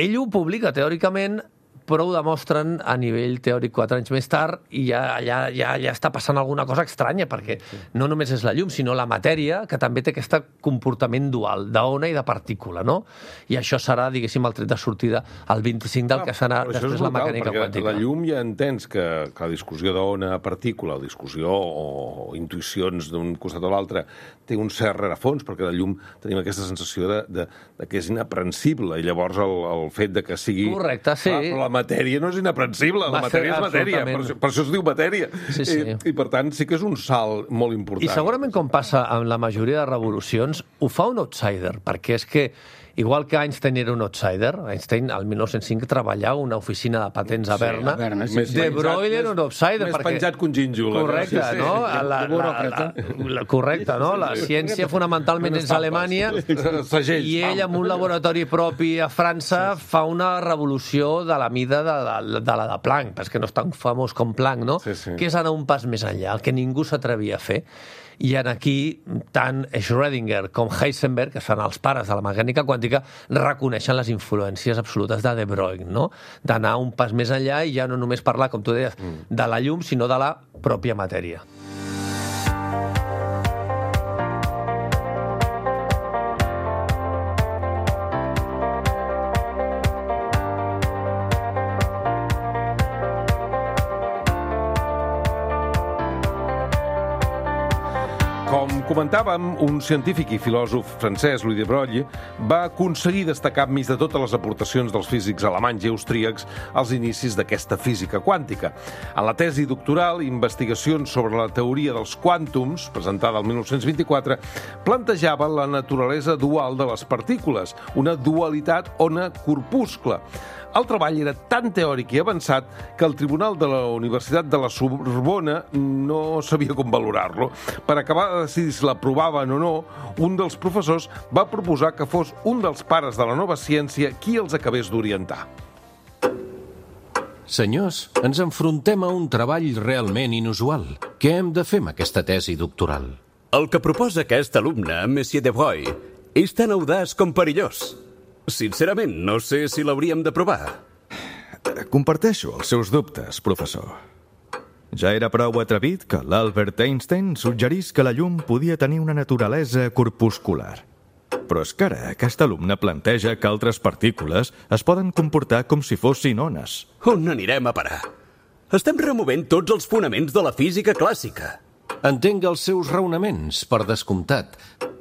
Ell ho publica, teòricament, però ho demostren a nivell teòric quatre anys més tard i ja, ja, ja, ja està passant alguna cosa estranya, perquè no només és la llum, sinó la matèria, que també té aquest comportament dual, d'ona i de partícula, no? I això serà, diguéssim, el tret de sortida al vint-i-cinc del ah, que serà després brutal, la mecànica quàntica. La llum ja entens que, que la discussió d'ona-partícula, o discussió o intuïcions d'un costat o l'altre, té un cert rerefons, perquè la llum tenim aquesta sensació de, de, de que és inaprensible, i llavors el, el fet de que sigui... Correcte, sí. Ah, però la matèria no és inaprensible, la matèria és matèria, per això, per això es diu matèria. Sí, sí. I, I per tant sí que és un salt molt important. I segurament, com passa amb la majoria de revolucions, ho fa un outsider, perquè és que igual que Einstein era un outsider, Einstein al mil nou-cents cinc treballava una oficina de patents a Berna, sí, a Berna sí, de Broglie era un outsider. Més perquè... penjat que un gínjol. Correcte, sí, sí. no? La, la, la, la, correcte, no? La ciència fonamentalment és a Alemanya i ell, amb un laboratori propi a França, fa una revolució de la mida de, de, de la de Planck, perquè no és tan famós com Planck, no? Sí, sí. Que és anar un pas més enllà, el que ningú s'atrevia a fer. I en aquí, tant Schrödinger com Heisenberg, que són els pares de la mecànica quàntica, reconeixen les influències absolutes de de Broglie, no? D'anar un pas més enllà i ja no només parlar, com tu deies, de la llum, sinó de la pròpia matèria. Com comentàvem, un científic i filòsof francès, Louis de Broglie, va aconseguir destacar enmig de totes les aportacions dels físics alemanys i austríacs als inicis d'aquesta física quàntica. En la tesi doctoral, Investigacions sobre la teoria dels quàntums, presentada el mil nou-cents vint-i-quatre, plantejava la naturalesa dual de les partícules, una dualitat ona-corpuscle. El treball era tan teòric i avançat que el Tribunal de la Universitat de la Sorbona no sabia com valorar-lo. Per acabar de decidir si l'aprovaven o no, un dels professors va proposar que fos un dels pares de la nova ciència qui els acabés d'orientar. Senyors, ens enfrontem a un treball realment inusual. Què hem de fer amb aquesta tesi doctoral? El que proposa aquest alumne, Monsieur de Broglie, és tan audaç com perillós. Sincerament, no sé si l'hauríem de provar. Comparteixo els seus dubtes, professor. Ja era prou atrevit que l'Albert Einstein suggerís que la llum podia tenir una naturalesa corpuscular. Però és que ara aquest alumne planteja que altres partícules es poden comportar com si fossin ones. On anirem a parar? Estem removent tots els fonaments de la física clàssica. Entenc els seus raonaments, per descomptat,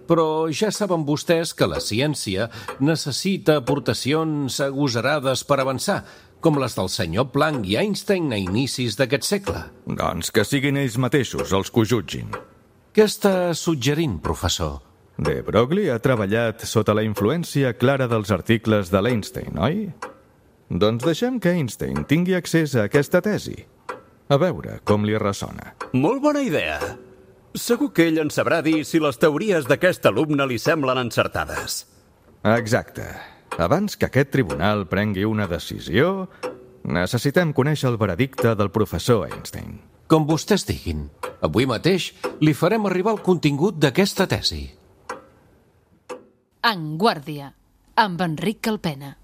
però ja saben vostès que la ciència necessita aportacions agosarades per avançar, com les del senyor Planck i Einstein a inicis d'aquest segle. Doncs que siguin ells mateixos els que ho jutgin. Què està suggerint, professor? De Broglie ha treballat sota la influència clara dels articles de l'Einstein, oi? Doncs deixem que Einstein tingui accés a aquesta tesi. A veure com li ressona. Molt bona idea. Segur que ell en sabrà dir si les teories d'aquest alumne li semblen encertades. Exacte. Abans que aquest tribunal prengui una decisió, necessitem conèixer el veredicte del professor Einstein. Com vostès diguin. Avui mateix li farem arribar el contingut d'aquesta tesi. En Guàrdia, amb Enric Calpena.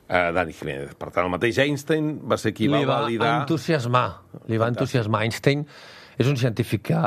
Uh, Dani Jiménez. Per tant, el mateix Einstein va ser qui va, va validar... Entusiasmar. Li va entusiasmar. Einstein és un científic que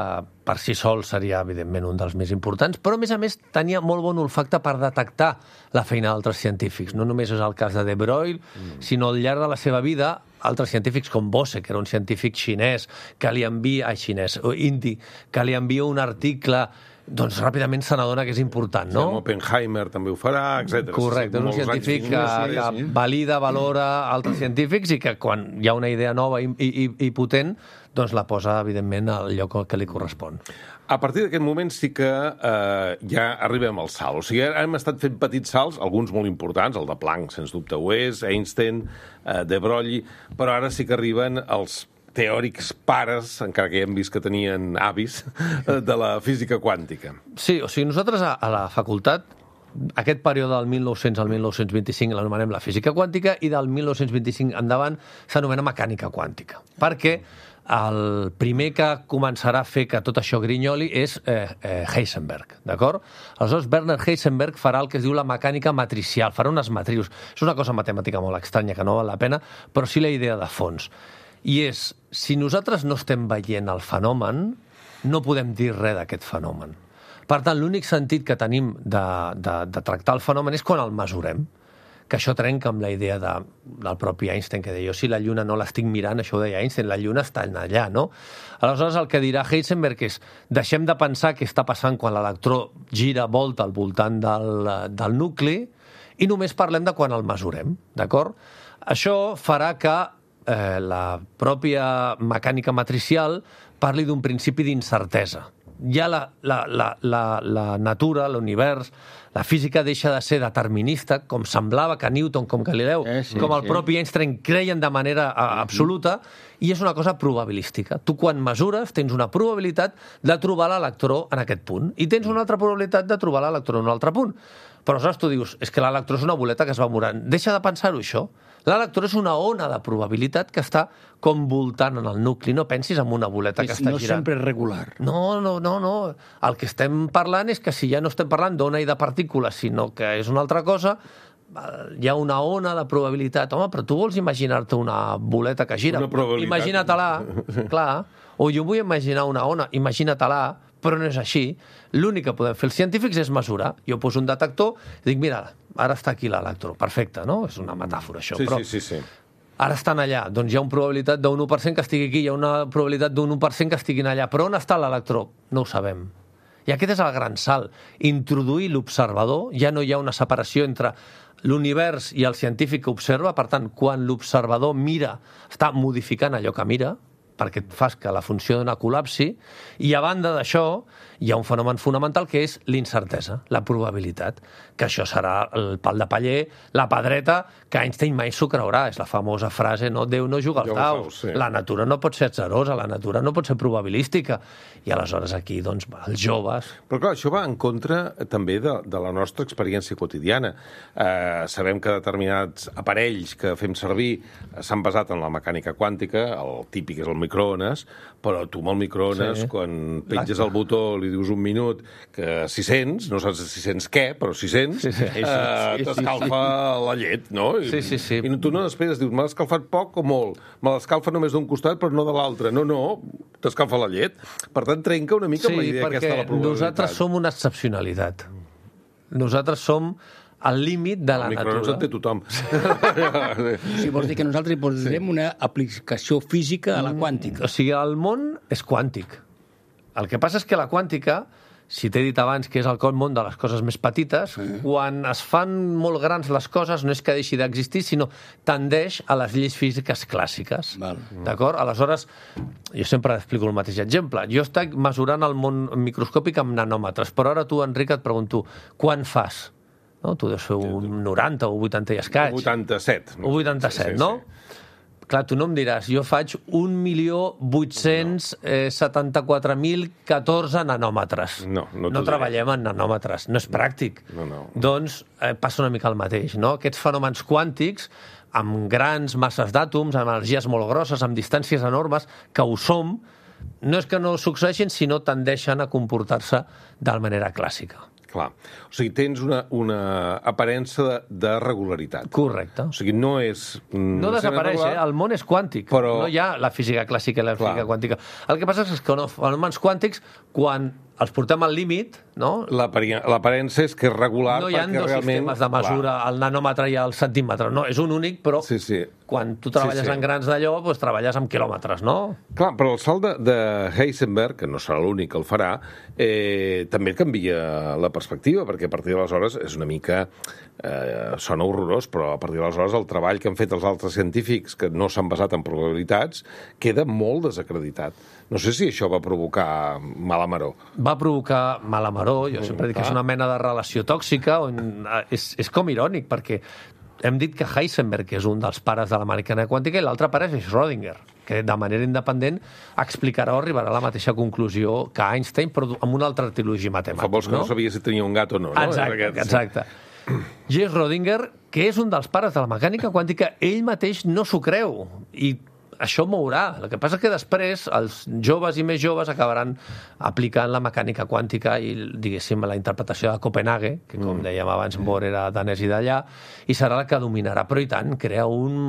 per si sol seria, evidentment, un dels més importants, però, a més a més, tenia molt bon olfacte per detectar la feina d'altres científics. No només és el cas de De Broglie, mm. sinó al llarg de la seva vida, altres científics com Bose, que era un científic xinès, que li envia... Ai, xinès, o indi, que li envia un article... doncs ràpidament se n'adona que és important, no? Sí, Oppenheimer també ho farà, etcètera. Correcte, és un científic que, que valida, valora altres científics i que quan hi ha una idea nova i, i, i potent, doncs la posa, evidentment, al lloc que li correspon. A partir d'aquest moment sí que eh, ja arribem al salt. O sigui, hem estat fent petits salts, alguns molt importants, el de Planck, sens dubte ho és, Einstein, eh, De Broglie, però ara sí que arriben els teòrics pares, encara que ja hem vist que tenien avis, de la física quàntica. Sí, o sigui, nosaltres a, a la facultat, aquest període del mil nou-cents al mil nou-cents vint-i-cinc l'anomenem la física quàntica i del mil nou-cents vint-i-cinc endavant s'anomena mecànica quàntica. Perquè el primer que començarà a fer que tot això grinyoli és eh, eh, Heisenberg, d'acord? Aleshores, Werner Heisenberg farà el que es diu la mecànica matricial, farà unes matrius. És una cosa matemàtica molt estranya que no val la pena, però sí la idea de fons. I és, si nosaltres no estem veient el fenomen, no podem dir res d'aquest fenomen. Per tant, l'únic sentit que tenim de, de, de tractar el fenomen és quan el mesurem, que això trenca amb la idea de, del propi Einstein, que deia, jo si la lluna no l'estic mirant, això ho deia Einstein, la lluna està allà, no? Aleshores, el que dirà Heisenberg és, deixem de pensar què està passant quan l'electró gira, volta al voltant del, del nucli i només parlem de quan el mesurem, d'acord? Això farà que Eh, la pròpia mecànica matricial parli d'un principi d'incertesa. Ja la, la, la, la, la natura, l'univers, la física deixa de ser determinista, com semblava que Newton, com Galileu, eh, sí, com el sí. propi Einstein creien de manera a, absoluta, i és una cosa probabilística. Tu, quan mesures, tens una probabilitat de trobar l'electró en aquest punt, i tens una altra probabilitat de trobar l'electró en un altre punt. Però aleshores tu dius, és que l'electró és una boleta que es va morant. Deixa de pensar-ho, això. L'electró és una ona de probabilitat que està com voltant en el nucli. No pensis en una boleta que està no girant. No sempre és regular. No, no, no, no. El que estem parlant és que si ja no estem parlant d'ona i de partícules, sinó que és una altra cosa, hi ha una ona de probabilitat. Home, però tu vols imaginar-te una boleta que gira? Imagina-te-la. Clar. O jo vull imaginar una ona. Imagina-te-la. Però no és així. L'únic que podem fer els científics és mesurar. Jo poso un detector i dic, mira, ara està aquí l'electró. Perfecte, no? És una metàfora, això. Sí, però sí, sí, sí. Ara estan allà. Doncs hi ha una probabilitat d'un u per cent que estigui aquí, hi ha una probabilitat d'un u per cent que estiguin allà. Però on està l'electró? No ho sabem. I aquest és el gran salt. Introduir l'observador, ja no hi ha una separació entre l'univers i el científic que observa. Per tant, quan l'observador mira, està modificant allò que mira, perquè et fas que la funció no col·lapsi, i a banda d'això hi ha un fenomen fonamental que és l'incertesa, la probabilitat, que això serà el pal de paller, la pedreta, que Einstein mai s'ho creurà. És la famosa frase, no? Déu no juga als daus, sí. La natura no pot ser atzerosa, la natura no pot ser probabilística. I aleshores aquí, doncs, els joves... Però clar, això va en contra també de, de la nostra experiència quotidiana. Eh, sabem que determinats aparells que fem servir s'han basat en la mecànica quàntica, el típic és el microones, però tu amb el microones, sí. Quan penges el botó, li dius un minut, que si sents, no saps si sents què, però si sents, sí, sí. Eh, t'escalfa sí, sí. la llet, no? I, sí, sí, sí. I tu no després dius, m'ha escalfat poc o molt? Me l'escalfa només d'un costat, però no de l'altre. No, no, t'escalfa la llet. Per tant, trenca una mica sí, amb la idea aquesta de la probabilitat. Sí, perquè nosaltres som una excepcionalitat. Nosaltres som al límit de la el natura. El microones en té tothom. Sí, vols dir que nosaltres hi posarem sí. una aplicació física a la quàntica. O sigui, el món és quàntic. El que passa és que la quàntica, si t'he dit abans que és el món de les coses més petites, sí. Quan es fan molt grans les coses no és que deixi d'existir, sinó tendeix a les lleis físiques clàssiques. Val. D'acord? Aleshores, jo sempre explico el mateix exemple. Jo estic mesurant el món microscòpic amb nanòmetres, però ara tu, Enric, et pregunto, quan fas? No? Tu deus fer un noranta o vuitanta i escaig. vuitanta-set. O vuitanta-set, sí, sí, no? Sí. Clar, tu no em diràs, jo faig un milió vuit-cents setanta-quatre mil catorze nanòmetres. No, no, no treballem en nanòmetres, no és pràctic. No, no. Doncs eh, passa una mica el mateix, no? Aquests fenòmens quàntics, amb grans masses d'àtoms, amb energies molt grosses, amb distàncies enormes, que ho som, no és que no succeeixin, sinó tendeixen a comportar-se de manera clàssica. Clar. O sigui, tens una, una aparença de, de regularitat. Correcte. O sigui, no és... No desapareix, eh? El món és quàntic. Però... No hi ha la física clàssica i la física Clar. quàntica. El que passa és que els fenòmens quàntics, quan els portem al límit, no? L'aparença és que és regular no hi ha perquè dos realment... sistemes de mesura, Clar. el nanòmetre i el centímetre. No, és un únic, però sí, sí. quan tu treballes sí, sí. en grans d'allò, doncs treballes amb quilòmetres, no? Clar, però el salt de, de Heisenberg, que no serà l'únic que el farà, eh, també canvia la perspectiva, perquè a partir d'aleshores és una mica... Eh, sona horrorós, però a partir d'aleshores el treball que han fet els altres científics que no s'han basat en probabilitats queda molt desacreditat. No sé si això va provocar mala maror. Va provocar mala maror, jo sempre dic que és una mena de relació tòxica, on és, és com irònic, perquè hem dit que Heisenberg és un dels pares de la mecànica quàntica i l'altre pare és Schrödinger, que de manera independent explicarà o arribarà a la mateixa conclusió que Einstein, però amb una altra trilogia matemàtica. Fa vols que no? no sabia si tenia un gat o no. Exacte, no? exacte. J. Schrödinger, que és un dels pares de la mecànica quàntica, ell mateix no s'ho creu, i això mourà. El que passa és que després els joves i més joves acabaran aplicant la mecànica quàntica i, diguéssim, la interpretació de Copenhague, que, com mm. dèiem abans, Bohr era danès i d'allà, i serà la que dominarà. Però, i tant, crea un,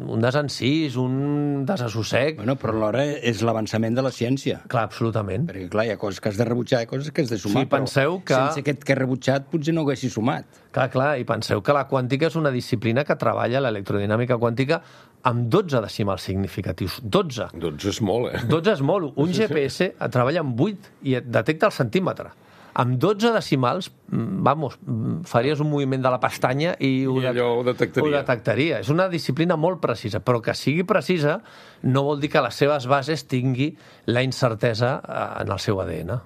un desencís, un desassossec. Bueno, però alhora és l'avançament de la ciència. Clar, absolutament. Perquè, clar, hi ha coses que has de rebutjar, hi ha coses que has de sumar, sí, penseu però que... sense aquest que he rebutjat potser no ho haguessis sumat. Clar, clar, i penseu que la quàntica és una disciplina que treballa l'electrodinàmica quàntica amb dotze decimals significatius. dotze. dotze és molt, eh? dotze és molt. Un G P S treballa amb vuit i et detecta el centímetre. Amb dotze decimals, vamos, faries un moviment de la pestanya i, ho, I allò ho detectaria. ho detectaria. És una disciplina molt precisa, però que sigui precisa no vol dir que les seves bases tingui la incertesa en el seu A D N.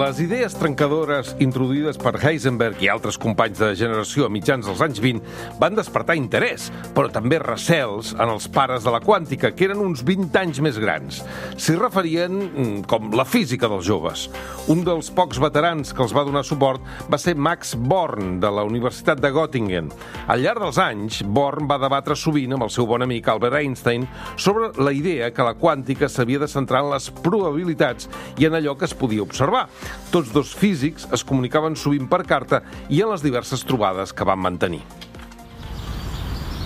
Les idees trencadores introduïdes per Heisenberg i altres companys de generació a mitjans dels anys vint van despertar interès, però també recels en els pares de la quàntica, que eren uns vint anys més grans. S'hi referien com la física dels joves. Un dels pocs veterans que els va donar suport va ser Max Born, de la Universitat de Göttingen. Al llarg dels anys, Born va debatre sovint amb el seu bon amic Albert Einstein sobre la idea que la quàntica s'havia de centrar en les probabilitats i en allò que es podia observar. Tots dos físics es comunicaven sovint per carta i en les diverses trobades que van mantenir.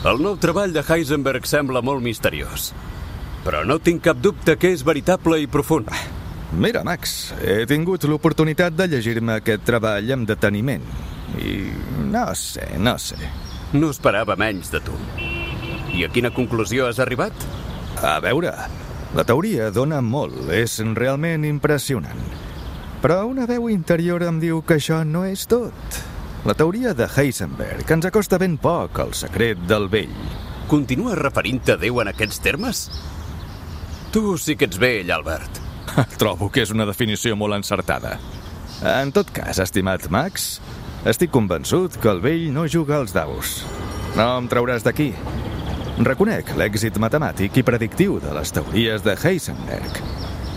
El nou treball de Heisenberg sembla molt misteriós, però no tinc cap dubte que és veritable i profund. Mira, Max, he tingut l'oportunitat de llegir-me aquest treball amb deteniment i no sé, no sé. No esperava menys de tu. I a quina conclusió has arribat? A veure, la teoria dona molt, és realment impressionant. Però una veu interior em diu que això no és tot. La teoria de Heisenberg ens acosta ben poc al secret del vell. Continues referint-te a Déu en aquests termes? Tu sí que ets vell, Albert. Trobo que és una definició molt encertada. En tot cas, estimat Max, estic convençut que el vell no juga als daus. No em trauràs d'aquí. Reconec l'èxit matemàtic i predictiu de les teories de Heisenberg,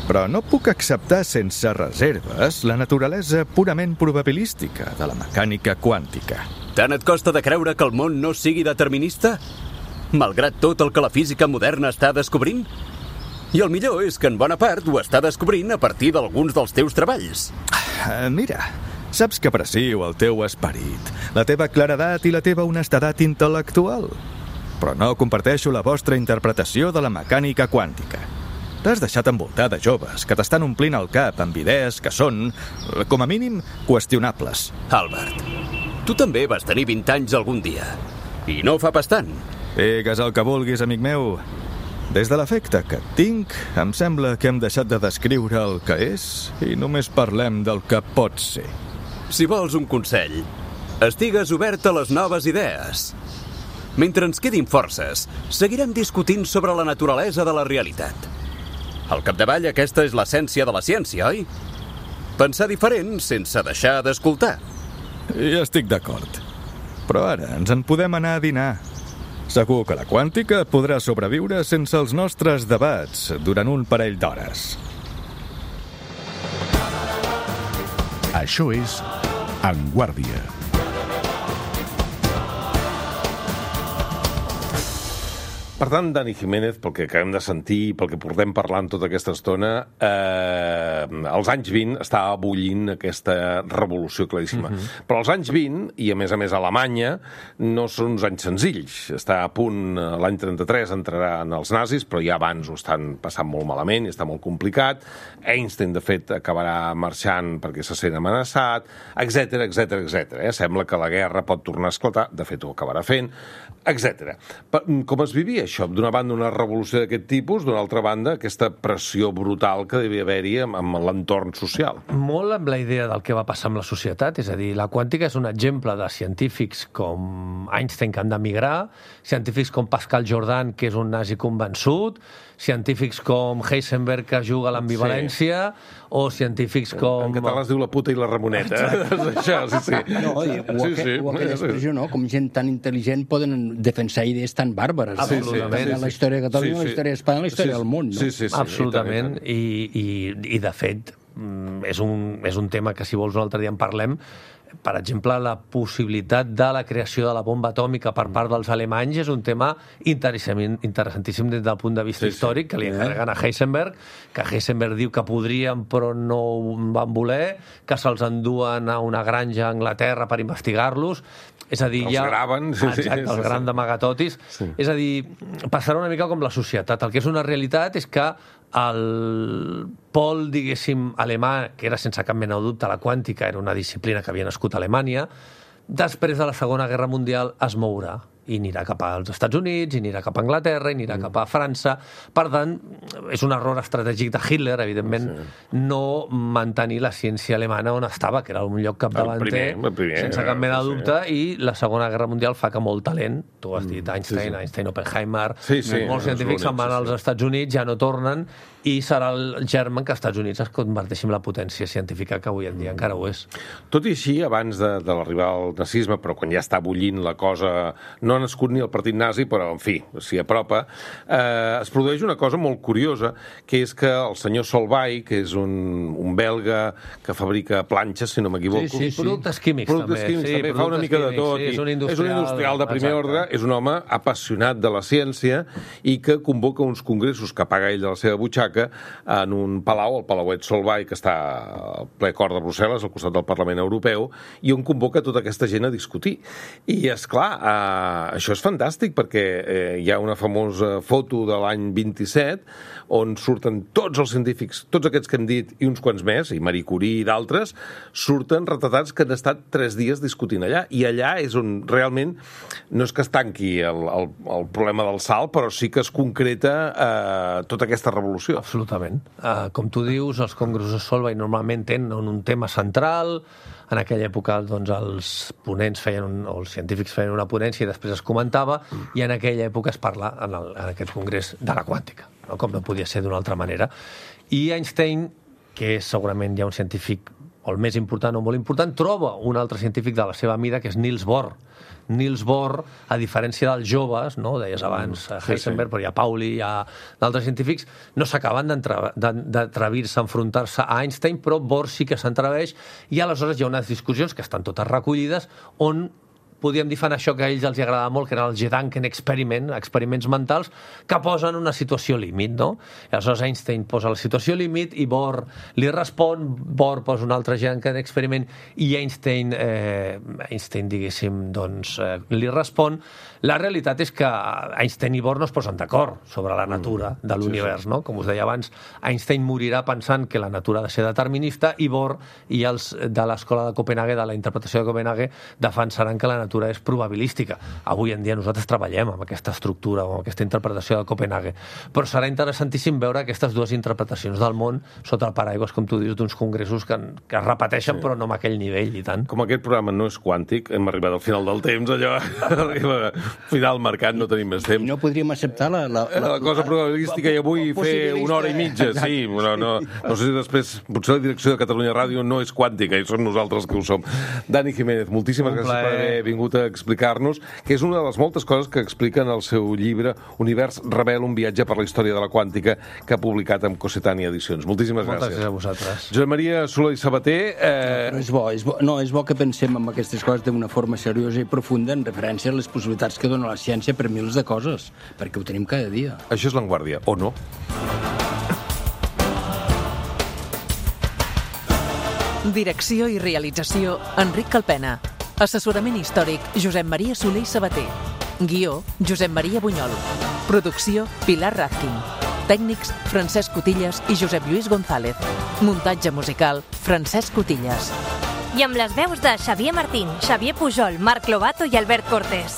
però no puc acceptar sense reserves la naturalesa purament probabilística de la mecànica quàntica. Tant et costa de creure que el món no sigui determinista? Malgrat tot el que la física moderna està descobrint? I el millor és que en bona part ho està descobrint a partir d'alguns dels teus treballs. Mira, saps que aprecio el teu esperit, la teva claredat i la teva honestedat intel·lectual, però no comparteixo la vostra interpretació de la mecànica quàntica. T'has deixat envoltar de joves que t'estan omplint el cap amb idees que són, com a mínim, qüestionables. Albert, tu també vas tenir vint anys algun dia, i no fa pas tant. Digues el que vulguis, amic meu. Des de l'efecte que et tinc, em sembla que hem deixat de descriure el que és i només parlem del que pot ser. Si vols un consell, estigues obert a les noves idees. Mentre ens quedin forces, seguirem discutint sobre la naturalesa de la realitat. Al capdavall, aquesta és l'essència de la ciència, oi? Pensar diferent sense deixar d'escoltar. Hi estic d'acord. Però ara ens en podem anar a dinar. Segur que la quàntica podrà sobreviure sense els nostres debats durant un parell d'hores. Això és En Guàrdia. Per tant, Dani Jiménez, pel que acabem de sentir, pel que portem parlant tota aquesta estona, eh, als anys vint estava bullint aquesta revolució claríssima. Uh-huh. Però als anys vint, i a més a més a Alemanya, no són uns anys senzills. Està a punt, l'any trenta-tres entraran els nazis, però ja abans ho estan passant molt malament i està molt complicat. Einstein, de fet, acabarà marxant perquè se sent amenaçat, etcètera, etcètera, etcètera. Eh? Sembla que la guerra pot tornar a esclatar, de fet ho acabarà fent, etcètera. Com es vivia això? D'una banda, una revolució d'aquest tipus, d'una altra banda, aquesta pressió brutal que devia haver-hi amb l'entorn social. Molt amb la idea del que va passar amb la societat, és a dir, la quàntica és un exemple de científics com Einstein, que han d'emigrar, científics com Pascal Jordan, que és un nazi convençut, científics com Heisenberg, que juga a l'ambivalència, sí. O científics com... En català es diu la puta i la Ramoneta. Això, sí, sí. No, o, sí, sí. o aquella expressió, no? Com gent tan intel·ligent poden defensar idees tan bàrbares. Absolutament. Sí, sí. La història de Catalunya, sí, sí. La història d'Espanya, la història sí, del món, no? Sí, sí, sí. Absolutament. I, i, i, de fet, és un, és un tema que, si vols, un altre dia en parlem. Per exemple, la possibilitat de la creació de la bomba atòmica per part dels alemanys és un tema interessantíssim des del punt de vista sí, històric, que li encarreguen a Heisenberg, que Heisenberg diu que podrien però no van voler, que se'ls enduen a una granja a Anglaterra per investigar-los. És a dir, els ja... graven. Sí, exacte, sí, els sí, gran d'amagatotis. Sí. És a dir, passarà una mica com la societat. El que és una realitat és que el pol, diguéssim, alemà, que era sense cap mena de dubte la quàntica, era una disciplina que havia nascut a Alemanya, després de la Segona Guerra Mundial es mourà i anirà cap als Estats Units, i anirà cap a Anglaterra, i anirà mm. cap a França. Per tant, és un error estratègic de Hitler, evidentment, sí. no mantenir la ciència alemana on estava, que era un lloc capdavanter, el primer, el primer, sense cap mena de dubte, sí. I la Segona Guerra Mundial fa que molt talent, tu has dit Einstein, sí, sí. Einstein, Oppenheimer, sí, sí, molts científics se'n van als Estats Units, ja no tornen, i serà el germen que als Estats Units es converteixi en la potència científica que avui en dia encara ho és. Tot i així, abans de, de l'arribar al nazisme, però quan ja està bullint la cosa, no ha nascut ni el partit nazi, però, en fi, s'hi apropa, eh, es produeix una cosa molt curiosa, que és que el senyor Solvay, que és un, un belga que fabrica planxes, si no m'equivoco... Sí, sí, sí. Productes químics, productes també. Químics, sí, també fa una mica químics, de tot. Sí, és un industrial, és un industrial de primer exacte. ordre, és un home apassionat de la ciència i que convoca uns congressos que paga ell de la seva butxaca butxaca en un palau, el Palauet Solvay, que està al ple cor de Brussel·les, al costat del Parlament Europeu, i on convoca tota aquesta gent a discutir. I, és clar, eh, això és fantàstic, perquè eh, hi ha una famosa foto de l'any vint-i-set on surten tots els científics, tots aquests que hem dit, i uns quants més, i Marie Curie i d'altres, surten retratats que han estat tres dies discutint allà. I allà és on realment no és que es tanqui el, el, el problema del salt, però sí que es concreta eh, tota aquesta revolució. Absolutament. Uh, com tu dius, els congressos Solvay normalment tenen un tema central. En aquella època doncs, els ponents feien, un, o els científics feien una ponència i després es comentava, i en aquella època es parla en, el, en aquest congrés de la quàntica, no? Com no podia ser d'una altra manera. I Einstein, que és segurament ja un científic o el més important o molt important, troba un altre científic de la seva mida, que és Niels Bohr. Niels Bohr, a diferència dels joves, no? Deies abans Heisenberg, però hi ha Pauli, hi ha d'altres científics, no s'acaben d'atrevir-se a enfrontar-se a Einstein, però Bohr sí que s'atreveix, i aleshores hi ha unes discussions que estan totes recollides on podíem dir fan això que a ells els agradava molt, que eren el Gedanken experiment, experiments mentals, que posen una situació límit, no? I aleshores Einstein posa la situació límit i Bohr li respon, Bohr posa un altre Gedanken experiment i Einstein, eh, Einstein diguéssim, doncs, eh, li respon. La realitat és que Einstein i Bohr no es posen d'acord sobre la natura de l'univers, no? Com us deia abans, Einstein morirà pensant que la natura ha de ser determinista i Bohr i els de l'escola de Copenhague, de la interpretació de Copenhague, defensaran que la natura és probabilística. Avui en dia nosaltres treballem amb aquesta estructura o amb aquesta interpretació de Copenhague. Però serà interessantíssim veure aquestes dues interpretacions del món sota el paraigües, com tu dius, d'uns congressos que, que es repeteixen, sí, però no amb aquell nivell i tant. Com aquest programa no és quàntic, hem arribat al final del temps, allò arriba final marcat, no tenim més temps. No podríem acceptar la... La, la, la cosa probabilística i avui fer una hora i mitja, sí. No, no, no sé si després, potser la direcció de Catalunya Ràdio no és quàntica i som nosaltres que ho som. Dani Jiménez, moltíssimes gràcies per haver vingut a explicar-nos, que és una de les moltes coses que explica en el seu llibre Univers Rebel, un viatge per la història de la quàntica, que ha publicat amb Cossetània Edicions. Moltíssimes gràcies. Moltes gràcies a vosaltres. Josep Maria Solé i Sabater... Eh... No, és bo, és bo, no, és bo que pensem en aquestes coses d'una forma seriosa i profunda en referència a les possibilitats que dona la ciència per mils de coses, perquè ho tenim cada dia. Això és l'Avantguàrdia, o no? Direcció i realització, Enric Calpena. Assessorament històric, Josep Maria Solé i Sabater. Guió, Josep Maria Bunyol. Producció, Pilar Razkin. Tècnics, Francesc Cotillas i Josep Lluís González. Muntatge musical, Francesc Cotillas. I amb les veus de Xavier Martín, Xavier Pujol, Marc Lobato i Albert Cortés.